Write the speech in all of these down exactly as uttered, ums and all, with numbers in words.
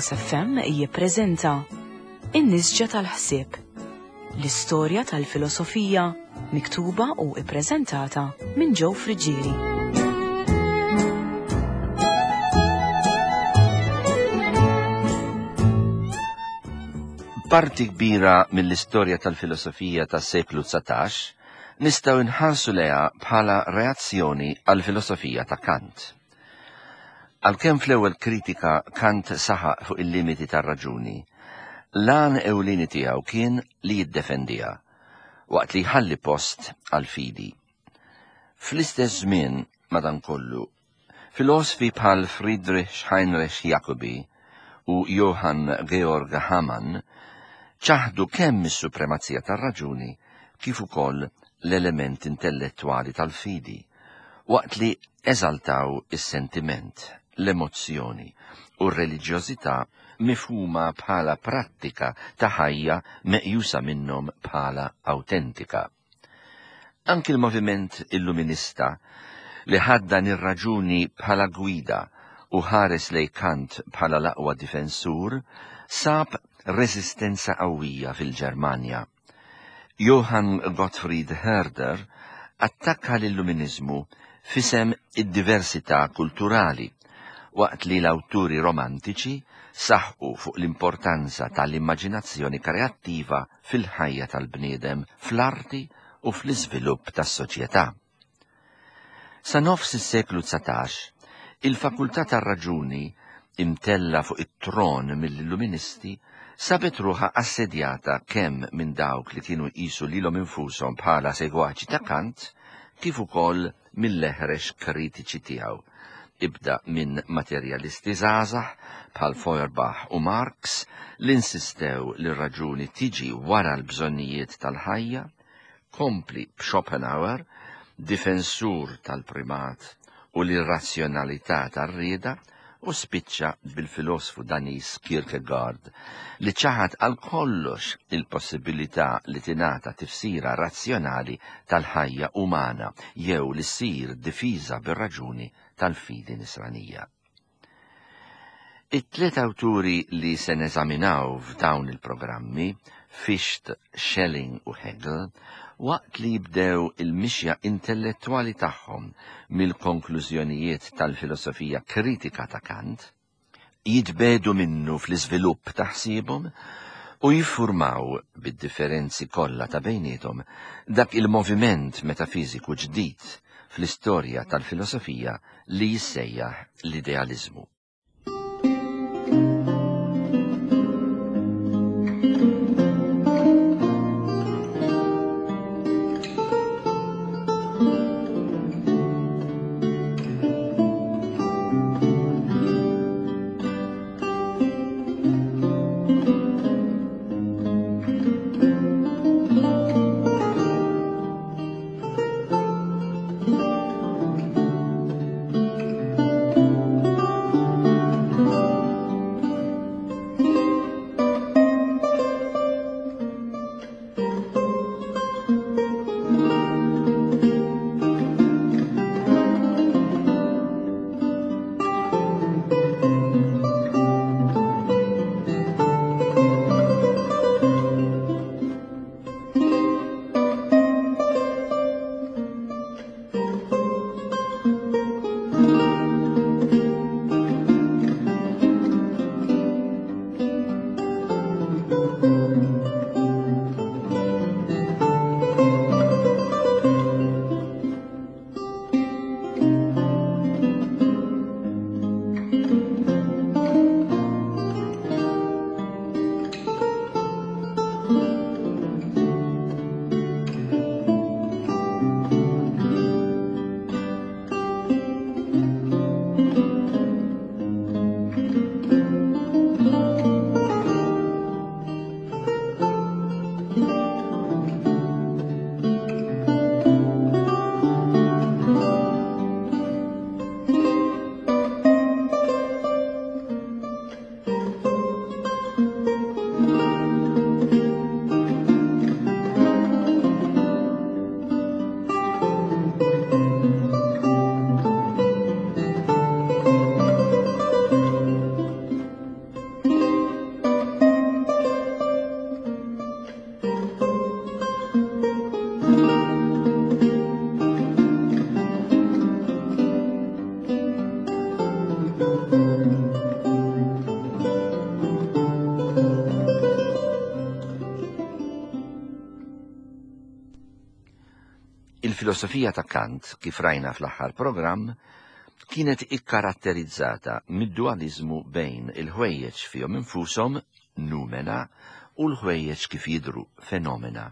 Veritas F M jippreżenta In-Nisġa tal-Ħsieb, l-istorja tal-filosofija miktuba u ippreżentata minn Joe Friggieri. Parti kbira mill-istorja tal-filosofija tas-seklu dsatax nistgħu nħarsu lejha bħala reazzjoni għall-filosofija ta' Kant. Għalkemm fl-ewwel kritika Kant saħaq fuq il-limiti tar-raġuni, l-għan ewlieni tiegħu kien li jiddefendiha, waqt li jħalli post għall-fidi. Fl-istess żmien, madankollu, filosfi bħal Friedrich Heinrich Jacobi u Johann Georg Hamann ċaħdu kemm is-supremazija tar-raġuni kif ukoll l-element intellettwali tal-fidi, waqt li eżaltaw is-sentiment, l-emozzjoni u r-reliġjożità mifhuma bħala prattika ta' ħajja meqjusa minnhom bħala awtentika. Anki l-moviment illuminista li ħaddan ir-raġuni bħala gwida u ħares lejn Kant bħala l-aqwa difensur sab reżistenza qawwija fil-Ġermanja. Johann Gottfried Herder attakka l-illuminizmu fisem id-diversità kulturali, waqt li l-awturi romantiċi saħqu fuq l-importanza tal-immaġinazzjoni kreattiva fil-ħajja tal-bniedem, fl-arti u fl-iżvilupp tas-soċjetà. Sa nofs is-seklu dsatax, il-fakultà tar-raġuni imtella fuq it-tron mill-illuministi sabet ruħha assedjata kemm minn dawk li kienu jqisu lilhom infushom bħala segwaċi ta' Kant, kif ukoll mill-eħrex kritiċi tiegħu. Ibda minn materjalisti żgħażagħ bħal Feuerbach u Marx li insistew li r-raġuni tiġi wara l-bżonnijiet tal-ħajja, kompli b'Schopenhauer, difensur tal-primat u l-irrazzjonalità tar-rieda, u spiċċa bil-filosfu Daniż Kierkegaard li ċaħad għal kollox il-possibilità li tingħata tifsira razzjonali tal-ħajja umana jew li ssir difiża bir-raġuni tal-fidi nisranija. It-tliet awturi li se neżaminaw f'dawn il-programmi, Fichte, Schelling u Hegel, waqt li jibdew il-mixja intellettwali tagħhom mill-konklużjonijiet tal-filosofija kritika ta' Kant, jitbedu minnu fl-iżvilupp ta' ħsiebhom u jiffurmaw bid-differenzi kollha ta' bejniethom dak il-moviment metafiżiku ġdid fl-istorja tal-filosofija li jissejjaħ l-idealiżmu. Il-filosofija ta' Kant, kif rajna fl-aħħar programm, kienet ikkaratterizzata mid-dualizmu bejn il-ħwejjeġ fihom infushom, numena, u l-ħwejjeġ kif jidhru, fenomena.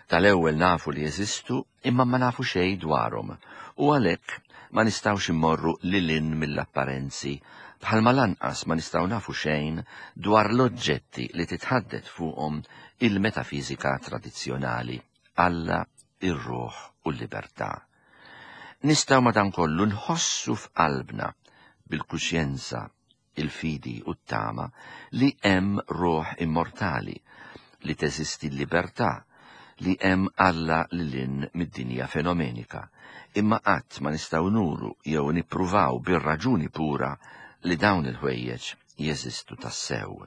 Tal-ewwel nafu li jeżistu imma ma nafu xejn dwarhom, u għalhekk ma nistgħux immorru lil hinn mill-apparenzi, bħalma lanqas ma nistgħu nafu xejn dwar l-oġġetti li titħaddet fuqhom il-metafiżika tradizzjonali, Alla, ir-ruħ u l-libertà. Nistgħu madankollu nħossu f'qalbna bil-kuxjenza, il-fidi u t-tama li hemm ruħ immortali, li teżisti l-libertà, li hemm Alla lil hinn mid-dinja fenomenika, imma qatt ma nistgħu nuru jew nippruvaw bir-raġuni pura li dawn il-ħwejjeġ jeżistu tassew.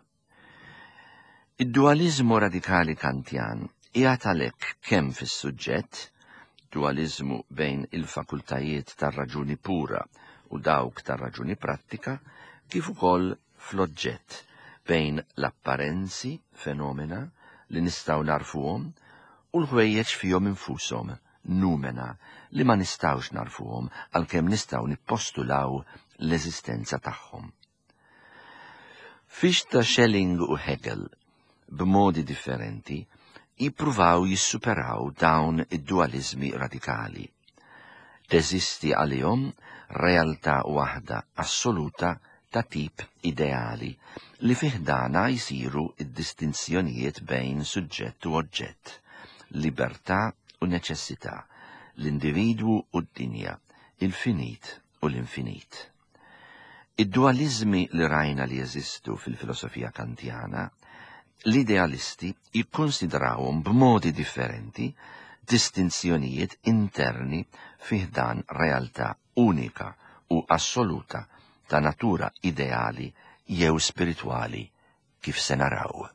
Id-dualizmu radikali Kantjan qiegħed għalhekk kemm fis-suġġett, dualizmu bejn il-fakultajiet tar-raġuni pura u dawk tar-raġuni prattika, kif ukoll fl-oġġett bejn l-apparenzi, fenomena, li nistgħu narfuhom, u l-ħwejjeġ fihom infushom, numena, li ma nistgħux narfuhom għalkemm nistgħu nippostulaw l-eżistenza tagħhom. Fichte, Schelling u Hegel, b'modi differenti, jippruvaw jissuperaw dawn id-dualizmi radikali. Teżisti għalihom realtà waħda assoluta ta' tip ideali li fih dana jsiru id-distinzjonijiet bejn suġġett u oġġett, libertà u neċessità, l-individwu u d-dinja, il-finit u l-infinit. Id-dualizmi li rajna li jeżistu fil-filosofija kantjana, l-idealisti jikkonsidrawhom b'modi differenti distinzjonijiet interni fih dan realtà unika u assoluta ta' natura ideali jew spiritwali kif se naraw.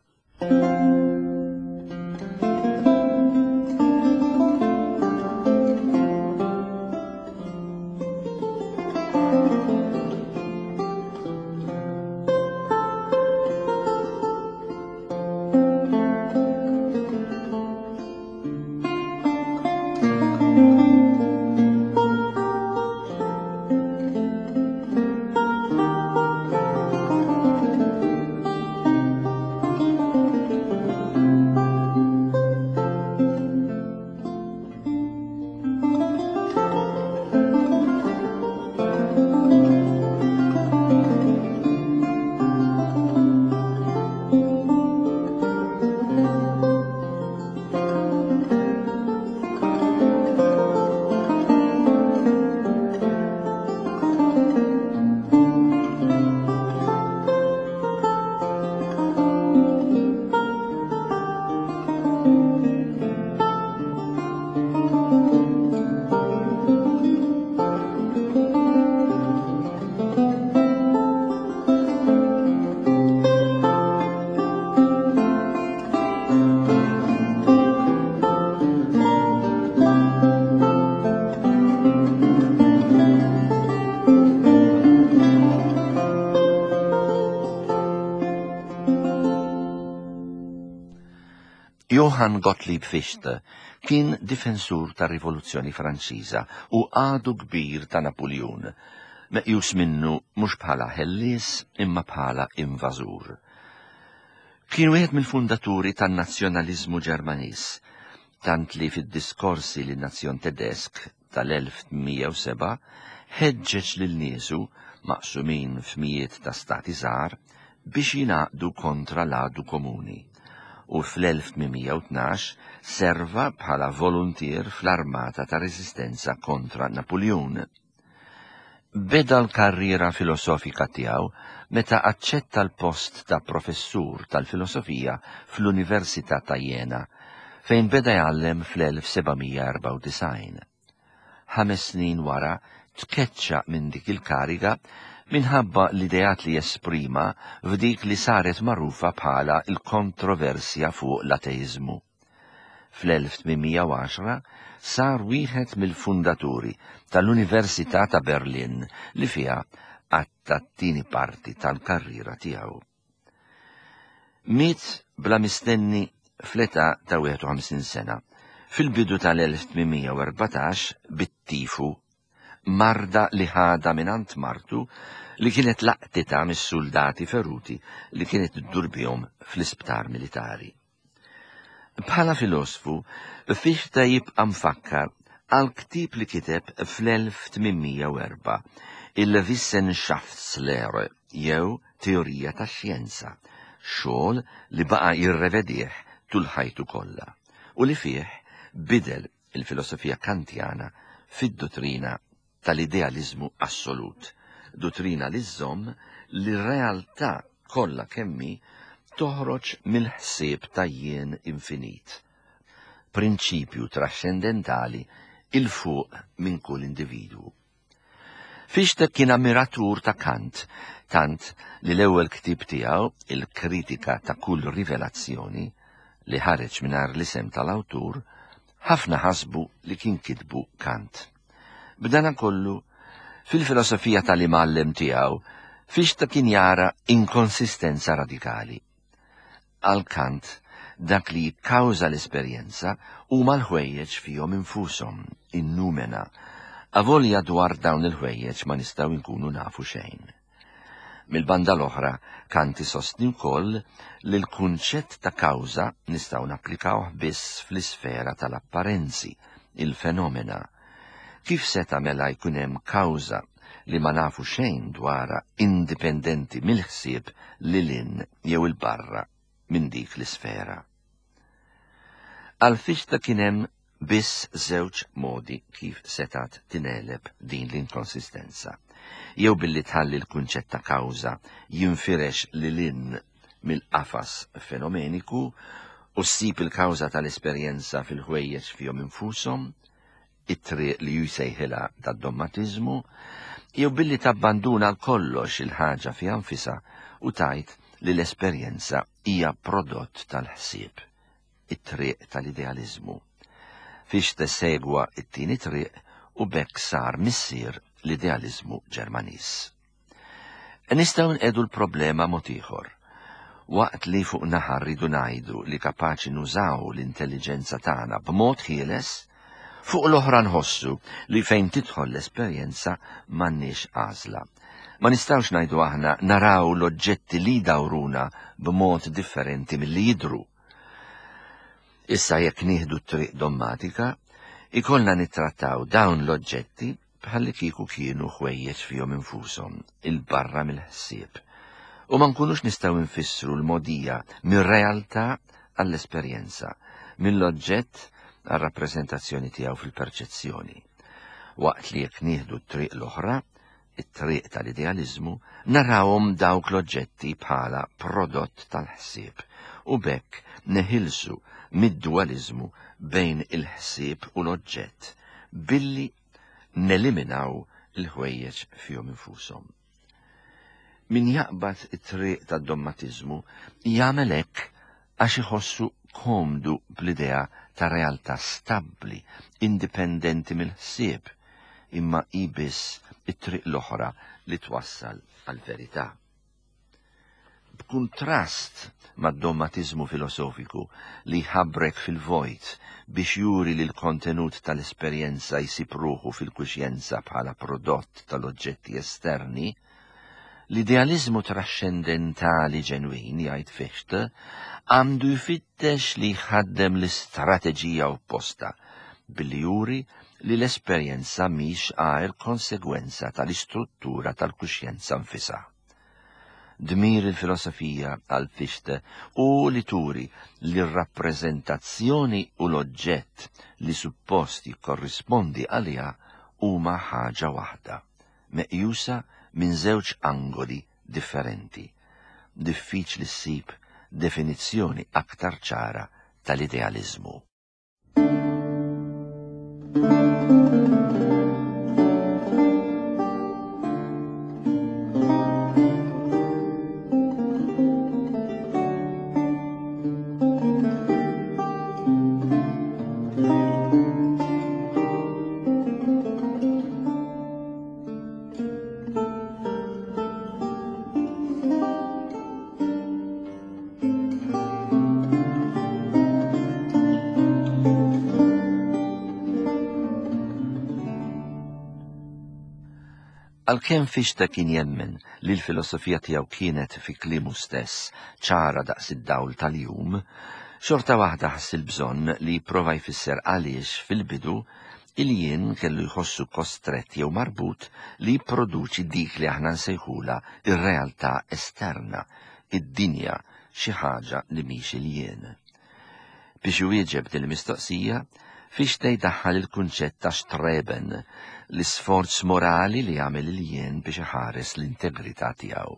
Johann Gottlieb Fichte kien difensur tar-Rivoluzzjoni Franċiża u għadu kbir ta' Napoleon, meqjus minnu mhux bħala ħellies imma bħala invażur. Kien wieħed mill-fundaturi tan-nazzjonaliżmu Ġermaniż, tant li fid-diskorsi lin nazzjon Tedesk tal-elf tmien mija u sebgħa ħeġġeġ lil niesu maqsumin f'mijiet ta' stati żgħar biex jingħaqdu kontra l-għadu komuni, u fl-elf tmien mija u tnax serva bħala voluntier fl-armata ta' resistenza kontra Napoleon. Beda l-karriera filosofika tiegħu meta aċċetta l-post ta' professur tal-filosofija fl-Università ta' Jena, fejn beda jgħallem fl-elf seba' mija erbgħa u disgħin. Ħames snin wara tkeċċa minn dik il-kariga minħabba l-ideat li jesprima f'dik li saret magħrufa bħala l-kontroversja fuq l-ateizmu. Fl-elf tmien mija u għaxra sar wieħed mill-fundaturi tal-Università ta' Berlin li fiha għatta t-tieni parti tal-karriera tiegħu. Miet bla mistenni fl-età ta' wieħed u ħamsin sena Fil-bidu tal-elf tmien mija u erbatax bit-tifu, marda li ħada mingħand martu li kienet laqtita mis-soldati feruti li kienet iddur bihom fl-isptar militari. Bħala filosfu, Fichte jibqa' mfakkar għal ktieb li kiteb fl-elf tmien mija u erbgħa, il-Wissenschaftslehre jew Teorija tax-Xjenza, xogħol li baqa' jirrevedih tul ħajtu kollha u li fih bidel il-filosofija kantjana fid-dottrina tal-idealizmu assolut, dottrina li żżomm li r-realtà kollha kemmi toħroġ mill-ħsieb ta' jien infinit, prinċipju trascendentali il fuq minn kull individwu. Fichte kien ammiratur ta' Kant, tant li l-ewwel ktieb tiegħu, il-Kritika ta' kull rivelazzjoni, li ħareġ mingħajr l-isem tal-awtur, ħafna ħasbu li kien kitbu Kant. B'dana kollu, fil-filosofija tal-imgħallem tiegħu, Fichte kien jara inkonsistenza radikali. Għal Kant, dak li jikkawża l-esperjenza huma l-ħwejjeġ fihom infushom, in-numena, avolja dwar dawn il-ħwejjeġ ma nistgħu nkunu nafu xejn. Mill-banda l-oħra, Kant isostni wkoll li l-kunċett ta' kawża nistgħu napplikawh biss fl-isfera tal-apparenzi, il-fenomena. Kif seta' mela jkun hemm kawża li ma nafu xejn dwarha indipendenti mill-ħsieb lil hinn jew il-barra minn dik l-isfera? Għal Fichte kien hemm biss żewġ modi kif setat tineleb din l-inkonsistenza. Jew billi tħalli l-kunċett ta' kawża jinfirex lil hinn mill-qafas fenomeniku u ssib il-kawża tal-esperjenza fil-ħwejjeġ fihom infushom, it-triq li jsejħilha tad-dommatiżmu, jew billi tabbanduna kollox il-ħaġa fiha nfisha u tgħid li l-esperjenza hija prodott tal-ħsieb, it-triq tal-idealiżmu. Fichte segwa it-tieni triq u b'hekk sar missier l-idealiżmu Ġermaniż. Nistgħu nqedu l-problema mod ieħor. Waqt li fuq naħa rridu ngħidu li kapaċi nużaw l-intelligenza tagħna b'mod ħieles, fuq l-oħra nħossu li fejn tidħol l-esperjenza m'għandniex għażla. Ma nistgħux ngħidu aħna naraw l-oġġetti li dawruna b'mod differenti milli jidhru. Issa jekk nieħdu t-triq dommatika, ikollna nittrattaw dawn l-oġġetti bħalli kieku kienu ħwejjeġ fihom infushom, il-barra mill-ħsieb. U ma nkunux nistgħu nfissru l-modija mir-realtà għall-esperjenza, mill-oġġett għar-rappreżentazzjoni tiegħu fil-perċezzjoni. Waqt li jekk nieħdu t-triq l-oħra, it-triq tal-idealiżmu, narawhom dawk l-oġġetti bħala prodott tal-ħsieb u b'hekk neħilsu mid-dualizmu bejn il-ħsieb u l-oġġett billi neliminaw il-ħwejjeġ fihom infushom. Min jaqbad it-triq tad-dommatiżmu jagħmel hekk għax iħossu komdu bl-idea ta' realtà stabbli, indipendenti mill-ħsieb, imma hi biss it-triq l-oħra li twassal għall-verità. B'kuntrast mad-dommatiżmu filosofiku li ħabrek fil-vojt biex juri li l-kontenut tal-esperjenza jsib ruħu fil-kuxjenza bħala prodott tal-oġġetti esterni, l-idealizmu trascendentali ġenwin, jgħid Fichte, għandu jfittex li jħaddem l-istrateġija opposta billi juri li l-esperjenza mhix għajr konsegwenza tal-istruttura tal-kuxjenza nfisha. Dmir il-filosofija għal Fichte u li turi li r-rappreżentazzjoni u l-oġġett li suppost jikkorrispondi għaliha huma ħaġa waħda, meqjusa minn żewġ angoli differenti. Diffiċli ssib definizzjoni aktar ċara tal-idealizmu. Għalkemm Fichte kien jemmen li l-filosofija tiegħu kienet fi kliemu stess ċara daqs id-dawl tal-jum, xorta waħda ħass il-bżonn li jipprova jfisser għaliex fil-bidu il-jien kellu jħossu kostrett jew marbut li jipproduċi dik li aħna nsejħula ir-realtà esterna, id-dinja, xi ħaġa li mhix il-jien. Biex iwieġeb din il-mistoqsija, Fichte jdaħħal il-kunċett ta' Streben, l-isforz morali li jagħmel il-jien biex iħares l-integrità tiegħu.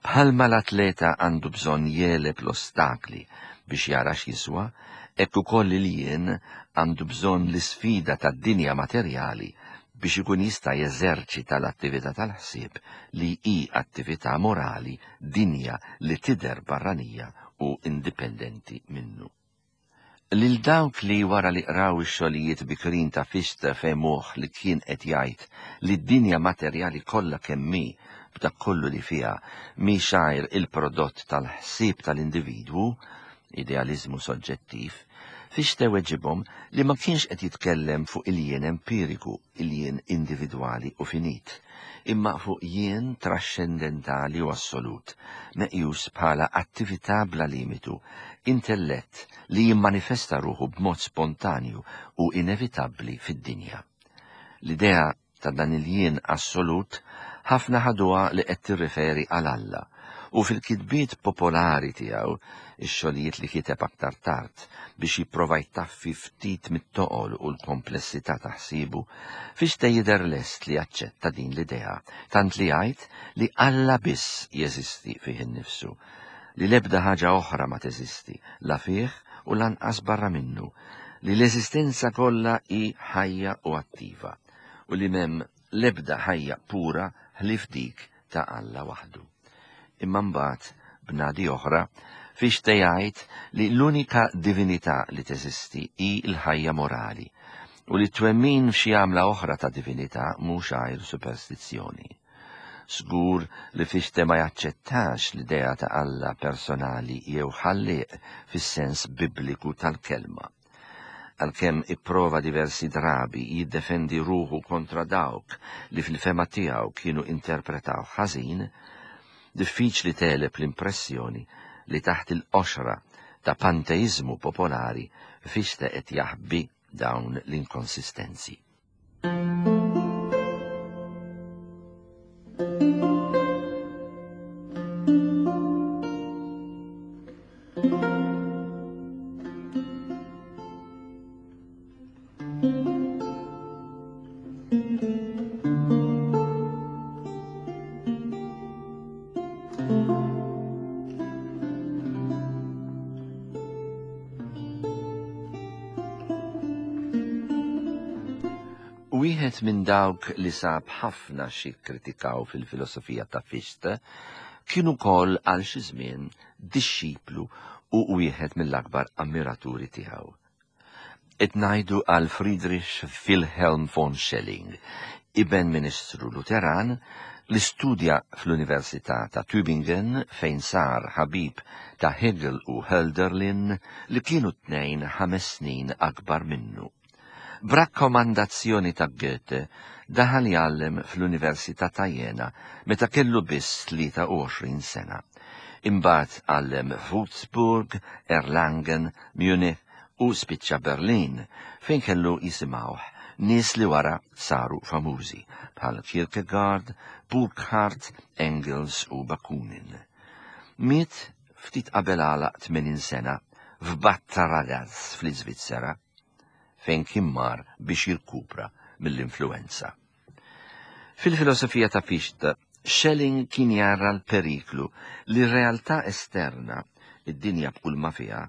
Bħalma l-atleta għandu bżonn jegħleb l-ostakli biex jara x'jiswa, hekk ukoll il-jien għandu bżonn l-isfida tad-dinja materjali biex ikun jista' jeżerċita l-attività tal-ħsieb li hi attività morali, dinja li tidher barranija u indipendenti minnu. Lil dawk li wara li qraw ix-xogħlijiet bikrin ta' Fichte fehmuh li kien qed jgħid li d-dinja materjali kollha kemm hi b'dak kollu li fiha mhix għajr il-prodott tal-ħsieb tal-individwu, idealiżmu soġġettiv, Fichte weġibhom li ma kienx qed jitkellem fuq il-jien empiriku, il-jien individwali u finit, imma fuq jien trascendentali u assolut, meqjus bħala attività bla limitu, intellett li jimmanifesta ruħu b'mod spontanju u inevitabbli fid-dinja. L-idea ta' dan il-jien assolut ħafna ħaduha li qed tirriferi għal Alla, u fil-kitbiet popolari tiegħu, ix-xogħlijiet li kiteb aktar tard biex jipprova jtaffi ftit mit-toqol u l-komplessità ta' ħsiebu, Fichte jidher lest li jaċċetta din l-idea, tant li jgħid li Alla biss jeżisti fih innifsu, li l-ebda ħaġa oħra ma teżisti, la fih u lanqas barra minnu, li l-eżistenza kollha hi ħajja u attiva, u li m'hemm l-ebda ħajja pura ħlief dik ta' Alla waħdu. Imma mbagħad b'nadi oħra, Fichte jgħid li l-unika divinità li teżisti hi l-ħajja morali u li twemmin f'xi għamla oħra ta' divinità mhux għajr superstizzjoni. Żgur li Fichte ma jaċċettax l-idea ta' Alla personali jew ħallieq fis-sens bibliku tal-kelma. Għalkemm ipprova diversi drabi jiddefendi ruħu kontra dawk li fil-fema tiegħu kienu interpretaw ħażin, diffiċli tegħleb l-impressjoni li taħt il-qoxra ta' panteizmu popolari Fichte qed jaħbi dawn l-inkonsistenzi. Wieħed minn dawk li sab ħafna xi kkritikaw fil-filosofija ta' Fichte kien ukoll għal xi żmien dixxiplu u wieħed mill-akbar ammiraturi tiegħu. Qed ngħidu għal Friedrich Wilhelm von Schelling, iben ministru Luteran li studja fl-Università ta' Tübingen fejn sar ħabib ta' Hegel u Hölderlin li kienu tnejn ħames snin akbar minnu. B'rakkomandazzjoni ta' Goethe daħal jgħallem fl-Università ta' Jena meta kellu biss tlieta u għoxrin sena. Imbagħad għallem f'Wurzburg, Erlangen, Munich u spiċċa Berlin fejn kellu jisimgħuh nies li wara saru famużi bħal Kierkegaard, Burckhardt, Engels u Bakunin. Miet ftit qabel għalaq tmenin sena f'Bad Ragaz fl-Iżvizzera, fejn kien mar biex jirkupra mill-influenza. Fil-filosofija ta' Fichte, Schelling kien jara l-periklu li r-realtà esterna, id-dinja b'kull ma fiha,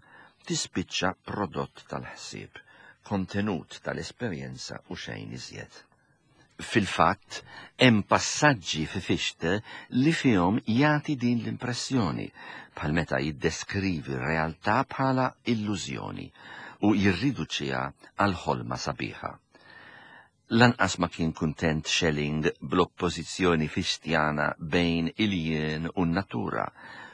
tispiċċa prodott tal-ħsieb, kontenut tal-esperjenza u xejn iżjed. Fil-fatt, hemm passaġġi fi Fichte li fihom jagħti din l-impressjoni, bħal meta jiddeskrivi r-realtà bħala illużjoni u jirriduċiha għal ħolma sabiħa. Lanqas ma kien kuntent Schelling bl-oppożizzjoni fichtjana bejn il-jien u n-natura,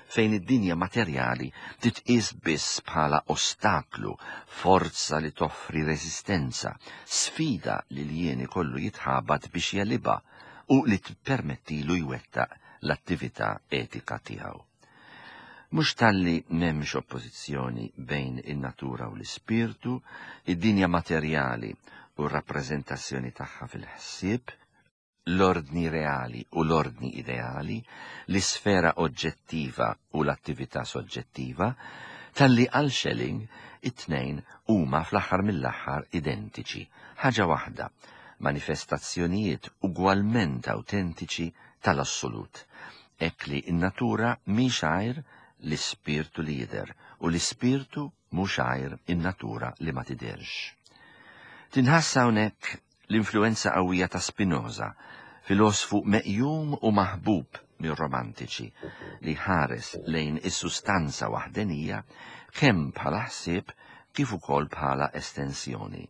fejn id-dinja materjali titqies biss bħala ostaklu, forza li toffri reżistenza, sfida li l-jien ikollu jitħabat biex jelibha u li tippermettilu jwettaq l-attività etika tiegħu. Mhux talli m'hemmx oppożizzjoni bejn in-natura u l-ispirtu, id-dinja materjali u r-rappreżentazzjoni tagħha fil-ħsieb, l-ordni reali u l-ordni ideali, l-isfera oġġettiva u l-attività soġġettiva, talli għal Schelling it-tnejn huma fl-aħħar mill-aħħar identiċi, ħaġa waħda, manifestazzjonijiet ugwalment awtentiċi tal-assolut. Hekk li n-natura mhix għajr l-ispirtu li jidher u l-ispirtu mhux għajr in-natura li ma tidherx. Tinħass hawnhekk l-influenza qawwija ta' Spinoza, filosfu meqjum u maħbub mir-romantiċi, li ħares lejn is-sustanza waħdenija kemm bħala ħsieb kif ukoll bħala estensjoni.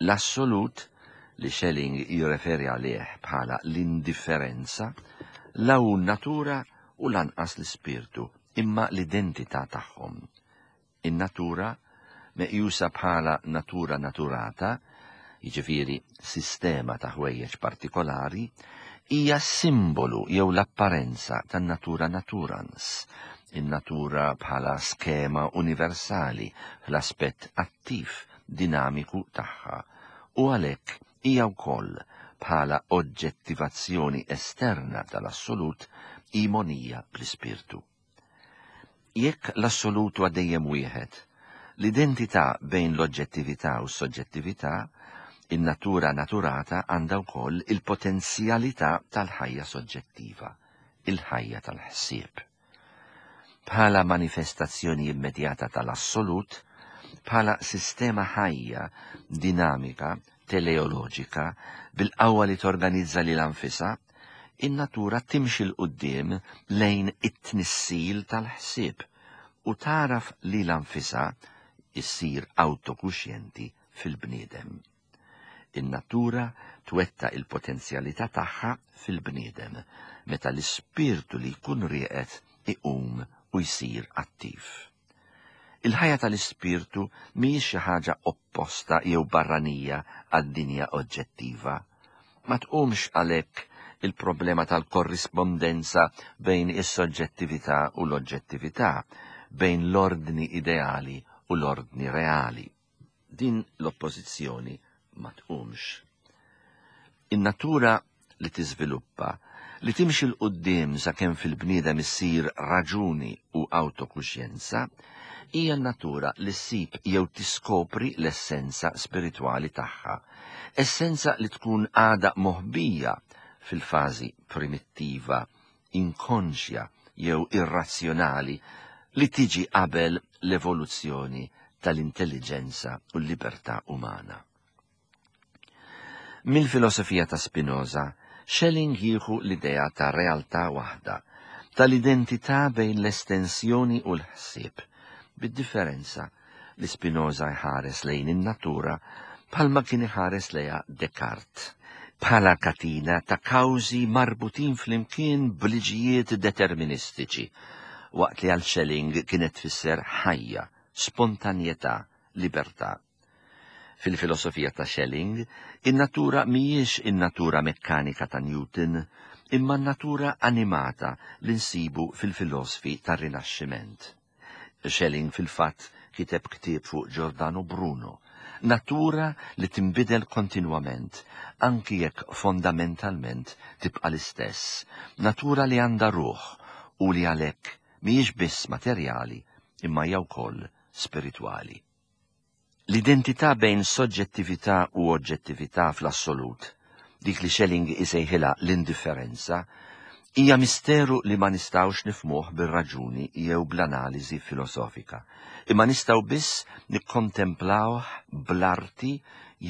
L-assolut, li Schelling jirreferi għalih bħala l-indifferenza, la hu natura u lanqas l-ispirtu, imma l-identità tagħhom. In-natura, meqjusa bħala natura naturata, jiġifieri sistema ta' ħwejjeġ partikolari, hija simbolu jew l-apparenza tan-natura naturans, in-natura bħala skema universali fl-aspett attiv dinamiku tagħha, u għalhekk hija wkoll bħala oġġettivazzjoni esterna tal-assolut imonija bl-ispirtu. Jekk l-assolut huwa dejjem wieħed, l-identità bejn l-oġġettività u s-soġġettività, in-natura naturata għandha wkoll il-potenzjalità tal-ħajja soġġettiva, il-ħajja tal-ħsieb. Bħala manifestazzjoni immedjata tal-assolut, bħala sistema ħajja, dinamika, teleoloġika, bil-qawwa li torganizza lil anfisha, in-natura timxi 'l quddiem lejn it-tnissil tal-ħsieb u taraf lil anfisha issir autokuxjenti fil-bniedem. In-natura twetta il-potenzjalità tagħha fil-bniedem meta l-ispirtu li jkun rieqed iqum u jsir attiv. Il-ħajja tal-ispirtu mhijiex xi ħaġa opposta jew barranija għad-dinja oġġettiva. Ma tqumx għalhekk il-problema tal-korrispondenza bejn is-soġġettività u l-oġġettività, bejn l-ordni ideali u l-ordni reali. Din l-oppożizzjoni ma tqumx. In-natura li tiżviluppa, li timxi 'l quddiem sakemm fil-bniedem issir raġuni u autokuxjenza, hija n-natura li ssib jew tiskopri l-essenza spiritwali tagħha, essenza li tkun għadha moħbija fil-fażi primittiva, inkonxja jew irrazzjonali li tiġi qabel l-evoluzzjoni tal-intelligenza u l-libertà umana. Mill-filosofija ta' Spinoza, Schelling jieħu l-idea ta' realtà waħda, tal-identità bejn l-estensjoni u l-ħsieb, bid-differenza li Spinoza jħares lejn in-natura bħalma kien iħares lejha Descartes, bħala katina ta' kawżi marbutin flimkien b'liġijiet deterministiċi, waqt li għal Schelling kienet tfisser ħajja, spontanjetà, libertà. Fil-filosofija ta' Schelling, in-natura mhijiex in-natura mekkanika ta' Newton, imma n-natura animata li nsibu fil-filosofi tar-Rinaxximent. Schelling fil-fatt kiteb ktieb fuq Giordano Bruno, natura li tinbidel kontinwament, anki jekk fondamentalment tibqa' l-istess, natura li għandha ruħ u li għalhekk mhijiex biss materjali imma hija wkoll spiritwali. L-identità bejn soġġettività u oġġettività fl-assolut, dik li Schelling isejħilha l-indifferenza, hija misteru li ma nistgħux nifhmuh bir-raġuni jew bl-analiżi filosofika, imma nistgħu biss nikkontemplawh bl-arti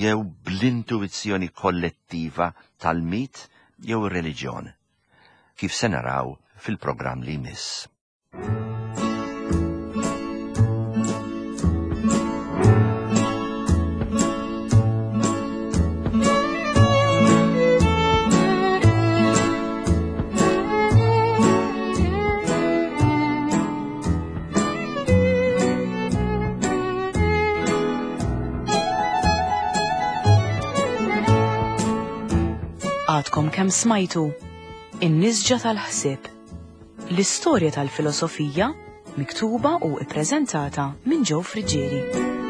jew bl-intuizzjoni kollettiva tal-mit jew ir-reliġjon, kif se naraw fil-programm li jmiss. Għadkom kemm smajtu In-nisġa tal-ħsieb. L-istorja tal-filosofija miktuba u ippreżentata minn Joe Friggieri.